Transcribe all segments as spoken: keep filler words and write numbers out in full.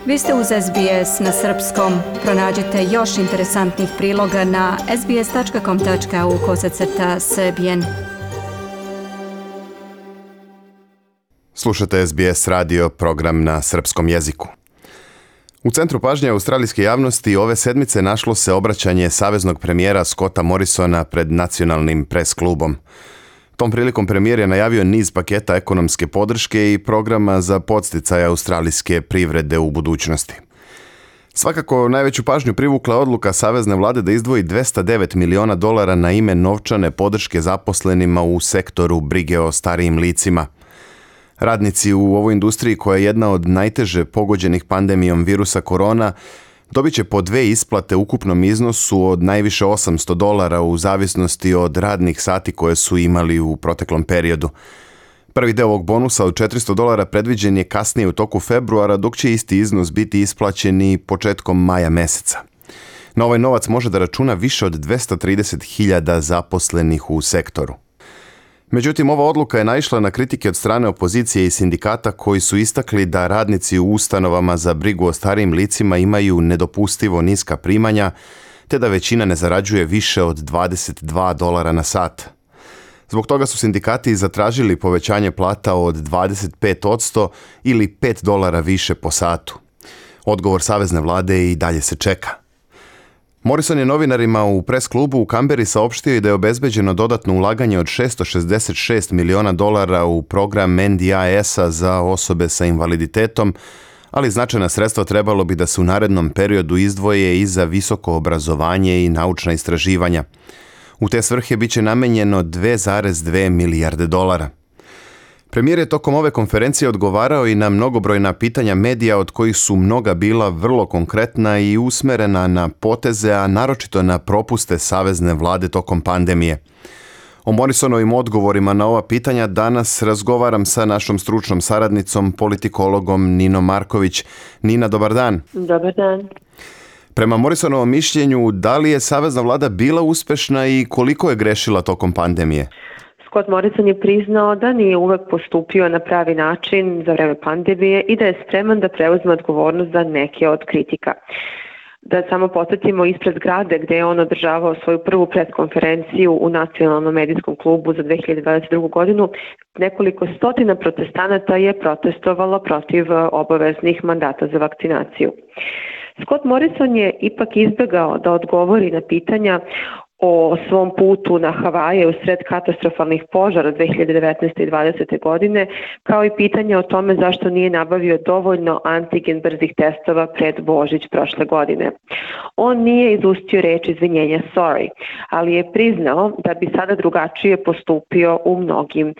Vi ste uz S B S na srpskom. Pronađite još interesantnih priloga na sbs.com.au kosacrta srbijen. Slušate S B S radio, program na srpskom jeziku. U centru pažnje australijske javnosti ove sedmice našlo se obraćanje saveznog premijera Scotta Morrisona pred nacionalnim pres klubom. Tom prilikom premijer je najavio niz paketa ekonomske podrške i programa za podsticaj australijske privrede u budućnosti. Svakako najveću pažnju privukla odluka savezne vlade da izdvoji dvesta devet miliona dolara na ime novčane podrške zaposlenima u sektoru brige o starijim licima. Radnici u ovoj industriji, koja je jedna od najteže pogođenih pandemijom virusa korona, dobit će po dve isplate u ukupnom iznosu od najviše osamsto dolara u zavisnosti od radnih sati koje su imali u proteklom periodu. Prvi deo ovog bonusa od četiristo dolara predviđen je kasnije u toku februara, dok će isti iznos biti isplaćen i početkom maja meseca. Na ovaj novac može da računa više od dvesta trideset hiljada zaposlenih u sektoru. Međutim, ova odluka je naišla na kritike od strane opozicije i sindikata koji su istakli da radnici u ustanovama za brigu o starijim licima imaju nedopustivo niska primanja, te da većina ne zarađuje više od dvadeset dva dolara na sat. Zbog toga su sindikati zatražili povećanje plata od dvadeset pet posto ili pet dolara više po satu. Odgovor savezne vlade i dalje se čeka. Morrison je novinarima u pres klubu u Kamberi saopštio i da je obezbeđeno dodatno ulaganje od šesto šezdeset šest miliona dolara u program N D I S-a za osobe sa invaliditetom, ali značajna sredstva trebalo bi da se u narednom periodu izdvoje i za visoko obrazovanje i naučna istraživanja. U te svrhe bit će namenjeno dve zarez dve milijarde dolara. Premijer je tokom ove konferencije odgovarao i na mnogobrojna pitanja medija, od kojih su mnoga bila vrlo konkretna i usmerena na poteze, a naročito na propuste savezne vlade tokom pandemije. O Morrisonovim odgovorima na ova pitanja danas razgovaram sa našom stručnom saradnicom, politikologom Ninom Marković. Nina, dobar dan. Dobar dan. Prema Morrisonovom mišljenju, da li je savezna vlada bila uspešna i koliko je grešila tokom pandemije? Scott Morrison je priznao da nije uvek postupio na pravi način za vreme pandemije i da je spreman da preuzme odgovornost za neke od kritika. Da samo podsjetimo, ispred zgrade gde je on održavao svoju prvu preskonferenciju u Nacionalnom medijskom klubu za dve hiljade dvadeset drugu. godinu, nekoliko stotina protestanata je protestovalo protiv obaveznih mandata za vakcinaciju. Scott Morrison je ipak izbegao da odgovori na pitanja o svom putu na Havaje u sred katastrofalnih požara dve hiljade devetnaeste. i dvadesete. godine, kao i pitanje o tome zašto nije nabavio dovoljno antigen brzih testova pred Božić prošle godine. On nije izustio reč izvinjenja sorry, ali je priznao da bi sada drugačije postupio u mnogim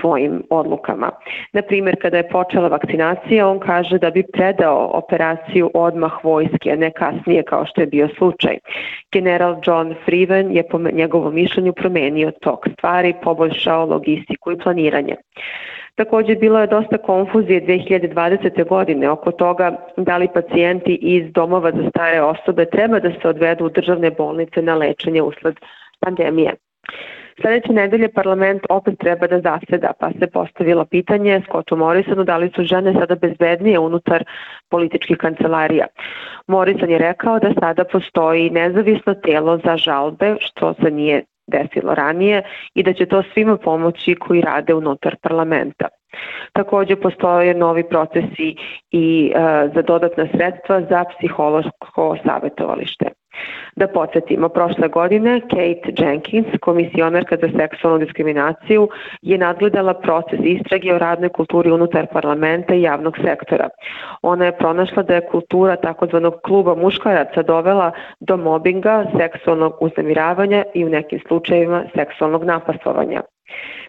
svojim odlukama. Na primjer, kada je počela vakcinacija, on kaže da bi predao operaciju odmah vojske, a ne kasnije kao što je bio slučaj. General John Freeman je po njegovom mišljenju promenio tok stvari, poboljšao logistiku i planiranje. Također bilo je dosta konfuzije dve hiljade dvadesete. godine oko toga da li pacijenti iz domova za stare osobe treba da se odvedu u državne bolnice na lečenje usled pandemije. Sljedeće nedelje parlament opet treba da zaseda, pa se postavilo pitanje Scottu Morrisonu da li su žene sada bezbednije unutar političkih kancelarija. Morrison je rekao da sada postoji nezavisno telo za žalbe, što se nije desilo ranije, i da će to svima pomoći koji rade unutar parlamenta. Također postoje novi procesi i e, za dodatna sredstva za psihološko savjetovalište. Da podsjetimo, prošle godine Kate Jenkins, komisionarka za seksualnu diskriminaciju, je nadgledala proces istrage o radnoj kulturi unutar parlamenta i javnog sektora. Ona je pronašla da je kultura takozvanog kluba muškaraca dovela do mobinga, seksualnog uznemiravanja i u nekim slučajevima seksualnog napastovanja.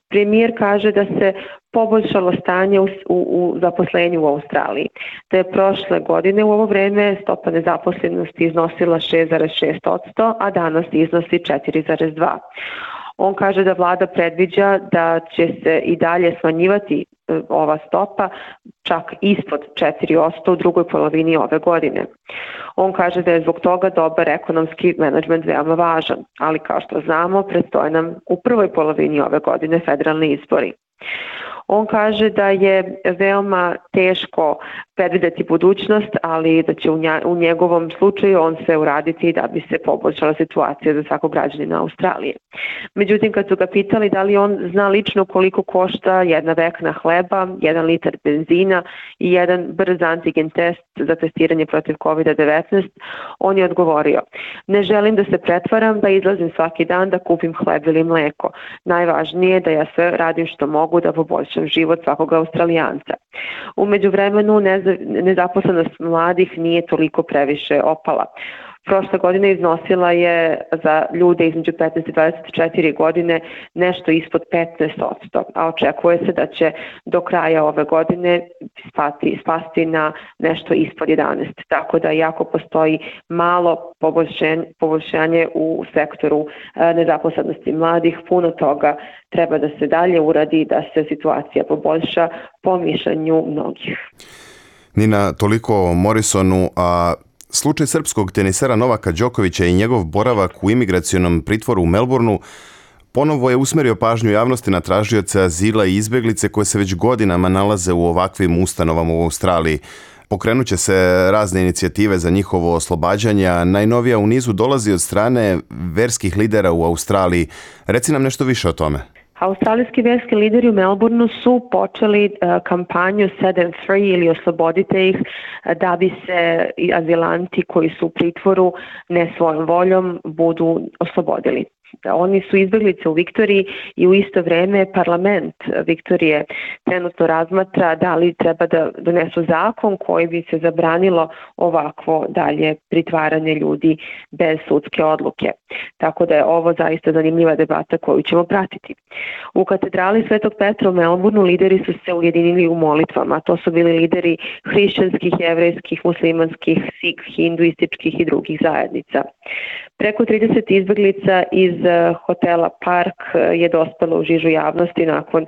Premijer kaže da se poboljšalo stanje u, u, u zaposlenju u Australiji, da je prošle godine u ovo vreme stopa nezaposlenosti iznosila šest zarez šest posto, a danas iznosi četiri zarez dva posto. On kaže da vlada predviđa da će se i dalje smanjivati ova stopa čak ispod četiri posto u drugoj polovini ove godine. On kaže da je zbog toga dobar ekonomski menadžment veoma važan, ali kao što znamo, predstoje nam u prvoj polovini ove godine federalni izbori. On kaže da je veoma teško predvideti budućnost, ali da će u njegovom slučaju on sve uraditi da bi se poboljšala situacija za svakog građanina Australije. Međutim, kad su ga pitali da li on zna lično koliko košta jedna vekna hleba, jedan litar benzina i jedan brz antigen test za testiranje protiv kovid devetnaest, on je odgovorio: ne želim da se pretvaram, da izlazim svaki dan da kupim hleb ili mleko. Najvažnije je da ja sve radim što mogu da poboljšam život svakog Australijanca. U međuvremenu nezaposlenost mladih nije toliko previše opala. Prošle godine iznosila je za ljude između petnaest i dvadeset četiri godine nešto ispod petnaest posto, a očekuje se da će do kraja ove godine spati, spasti na nešto ispod jedanaest. Tako da jako postoji malo poboljšanje, poboljšanje u sektoru nezaposlenosti mladih. Puno toga treba da se dalje uradi, da se situacija poboljša po mišljenju mnogih. Nina, toliko o Morrisonu, a slučaj srpskog tenisera Novaka Đokovića i njegov boravak u imigracionom pritvoru u Melbourneu ponovo je usmerio pažnju javnosti na tražioce azila i izbjeglice koje se već godinama nalaze u ovakvim ustanovama u Australiji. Pokrenut će se razne inicijative za njihovo oslobađanje, a najnovija u nizu dolazi od strane verskih lidera u Australiji. Reci nam nešto više o tome. Australijski verski lideri u Melbourneu su počeli uh, kampanju Set them free ili oslobodite ih, da bi se azilanti koji su u pritvoru ne svojom voljom budu oslobodili. Oni su izbjeglice u Viktoriji i u isto vrijeme parlament Viktorije trenutno razmatra da li treba da donesu zakon koji bi se zabranilo ovakvo dalje pritvaranje ljudi bez sudske odluke. Tako da je ovo zaista zanimljiva debata koju ćemo pratiti. U katedrali Svetog Petra u Melbourneu lideri su se ujedinili u molitvama. To su bili lideri hrišćanskih, jevrejskih, muslimanskih, sikh, hinduističkih i drugih zajednica. Preko trideset izbjeglica iz hotela Park je dospelo u žižu javnosti nakon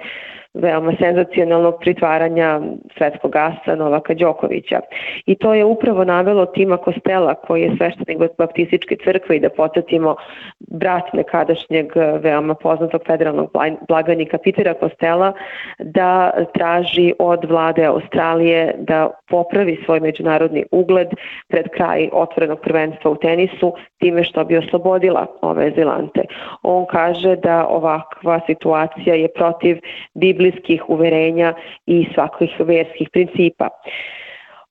veoma senzacionalnog pritvaranja svetskog asa Novaka Đokovića. I to je upravo navelo Tima Kostela, koji je sveštenik baptističke crkve, i da podsjetimo brat nekadašnjeg veoma poznatog federalnog blagajnika Petera Kostela, da traži od vlade Australije da popravi svoj međunarodni ugled pred kraj otvorenog prvenstva u tenisu time što bi oslobodila ove azilante. On kaže da ovakva situacija je protiv biblijskih uverenja i svakih verskih principa.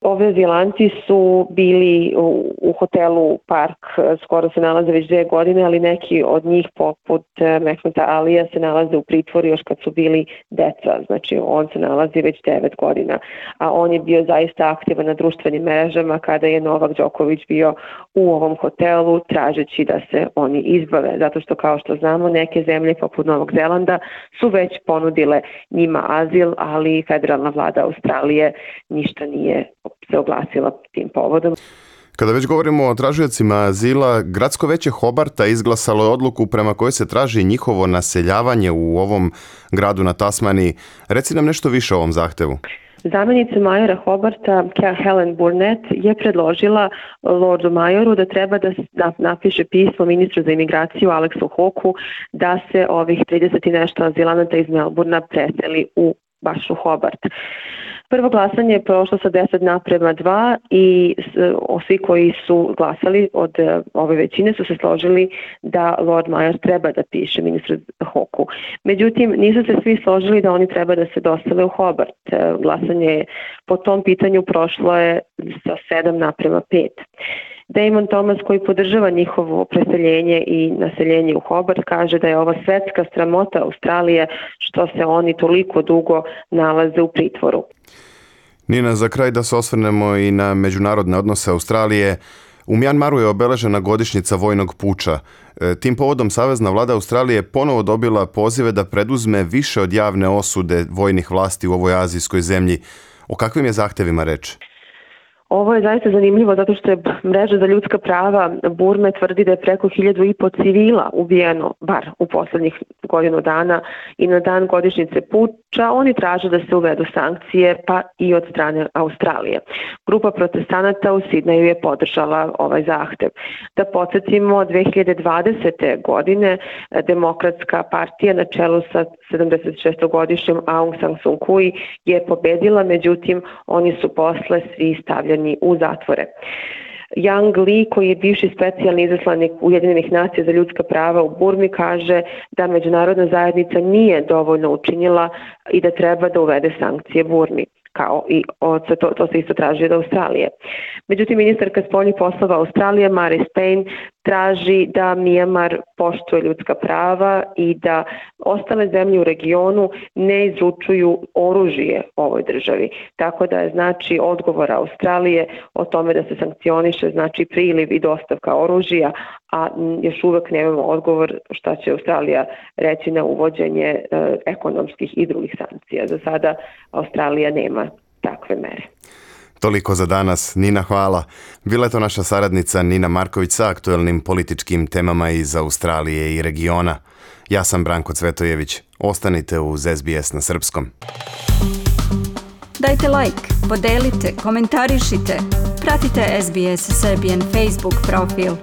Ove azilanti su bili u, u hotelu Park, skoro se nalaze već dvije godine, ali neki od njih poput Mehmeta Alija se nalaze u pritvoru još kad su bili deca, znači on se nalazi već devet godina, a on je bio zaista aktivan na društvenim mrežama kada je Novak Đoković bio u ovom hotelu tražeći da se oni izbave, zato što kao što znamo neke zemlje poput Novog Zelanda su već ponudile njima azil, ali federalna vlada Australije ništa nije se oglasila tim povodom. Kada već govorimo o tražiocima azila, gradsko veće Hobarta izglasalo je odluku prema kojoj se traži njihovo naseljavanje u ovom gradu na Tasmaniji. Reci nam nešto više o ovom zahtevu. Zamjenica majora Hobarta, Helen Burnett, je predložila Lordu majoru da treba da napiše pismo ministru za imigraciju Aleksu Hawkeu da se ovih trideset i nešto azilanata iz Melbournea preseli u baš u Hobart. Prvo glasanje je prošlo sa deset naprema dva i svi koji su glasali od ove većine su se složili da Lord Mayor treba da piše ministru Hawkeu. Međutim, nisu se svi složili da oni treba da se dostave u Hobart. Glasanje je po tom pitanju prošlo je sa sedam naprema pet. Damon Thomas, koji podržava njihovo preseljenje i naseljenje u Hobart, kaže da je ova svetska sramota Australije što se oni toliko dugo nalaze u pritvoru. Nina, za kraj da se osvrnemo i na međunarodne odnose Australije. U Mjanmaru je obeležena godišnjica vojnog puča. Tim povodom Savezna vlada Australije ponovo dobila pozive da preduzme više od javne osude vojnih vlasti u ovoj azijskoj zemlji. O kakvim je zahtevima reč? Ovo je zaista zanimljivo zato što je mreža za ljudska prava Burme tvrdi da je preko hiljadu i po civila ubijeno, bar u poslednjih godinu dana, i na dan godišnjice puča oni traže da se uvedu sankcije, pa i od strane Australije. Grupa protestanata u Sidneju je podržala ovaj zahtev. Da podsjetimo, dve hiljade dvadesete. godine Demokratska partija na čelu sa sedamdesetšestogodišnjom Aung San Suu Kyi je pobedila, međutim oni su posle svi stavljeni u zatvore. Yang Li, koji je bivši specijalni izaslanik Ujedinjenih nacija za ljudska prava u Burmi, kaže da međunarodna zajednica nije dovoljno učinila i da treba da uvede sankcije Burmi, kao i od, to, to se isto traži od Australije. Međutim, ministarka spoljnih poslova Australije, Marise Payne, traži da Myanmar poštuje ljudska prava i da ostale zemlje u regionu ne izručuju oružje ovoj državi. Tako da je znači odgovor Australije o tome da se sankcioniše znači priliv i dostavka oružja, a još uvek nemamo odgovor šta će Australija reći na uvođenje e, ekonomskih i drugih sankcija. Za sada Australija nema takve mere. Toliko za danas. Nina, hvala. Bila je to naša saradnica Nina Marković sa aktuelnim političkim temama iz Australije i regiona. Ja sam Branko Cvetojević. Ostanite uz S B S na srpskom. Dajte like, podelite, komentarišite. Pratite S B S Serbian Facebook profil.